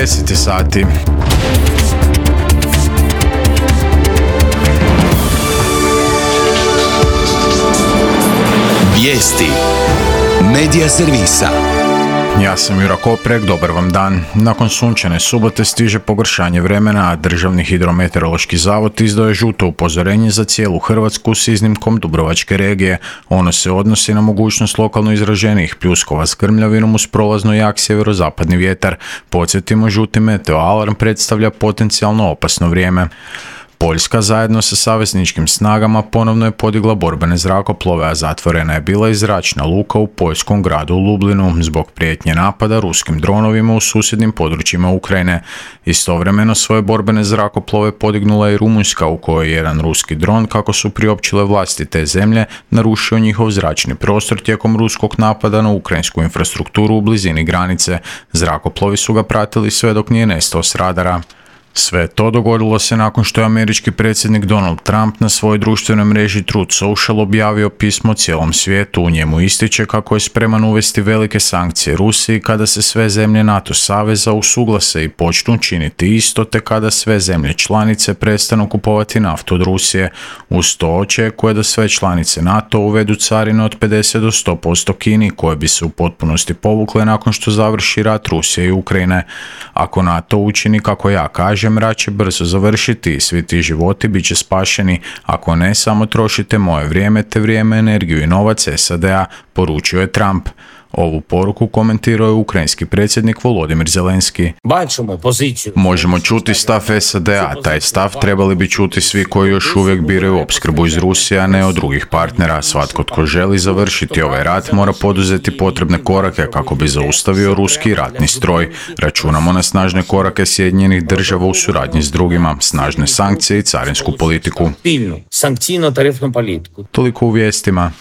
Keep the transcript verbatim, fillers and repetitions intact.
deset sati. Vijesti Medija servisa. Ja sam Jura Koprek, dobar vam dan. Nakon sunčane subote stiže pogoršanje vremena, a Državni hidrometeorološki zavod izdao je žuto upozorenje za cijelu Hrvatsku s iznimkom Dubrovačke regije. Ono se odnosi na mogućnost lokalno izraženijih pljuskova s grmljavinom uz prolazno jak sjeverozapadni vjetar. Podsjetimo, žuti meteoalarm predstavlja potencijalno opasno vrijeme. Poljska zajedno sa savezničkim snagama ponovno je podigla borbene zrakoplove, a zatvorena je bila i zračna luka u poljskom gradu Lublinu zbog prijetnje napada ruskim dronovima u susjednim područjima Ukrajine. Istovremeno svoje borbene zrakoplove podignula je i Rumunjska, u kojoj je jedan ruski dron, kako su priopćile vlasti te zemlje, narušio njihov zračni prostor tijekom ruskog napada na ukrajinsku infrastrukturu u blizini granice. Zrakoplovi su ga pratili sve dok nije nestao s radara. Sve to dogodilo se nakon što je američki predsjednik Donald Trump na svojoj društvenoj mreži Truth Social objavio pismo cijelom svijetu. U njemu ističe kako je spreman uvesti velike sankcije Rusiji kada se sve zemlje NATO saveza usuglase i počnu činiti isto, te kada sve zemlje članice prestanu kupovati naftu od Rusije. Uz to očekuje da sve članice NATO uvedu carine od pedeset do sto posto Kini, koje bi se u potpunosti povukle nakon što završi rat Rusije i Ukrajine. Ako NATO učini kako ja kažem, rat će brzo završiti i svi ti životi bit će spašeni. Ako ne, samo trošite moje vrijeme te vrijeme, energiju i novac S A D-a, poručio je Trump. Ovu poruku komentirao je ukrajinski predsjednik Volodimir Zelenski. Možemo čuti stav S A D-a, taj stav trebali bi čuti svi koji još uvijek biraju opskrbu iz Rusije, a ne od drugih partnera. Svatko tko želi završiti ovaj rat mora poduzeti potrebne korake kako bi zaustavio ruski ratni stroj. Računamo na snažne korake Sjedinjenih država u suradnji s drugima, snažne sankcije i carinsku politiku. Toliko u vijestima.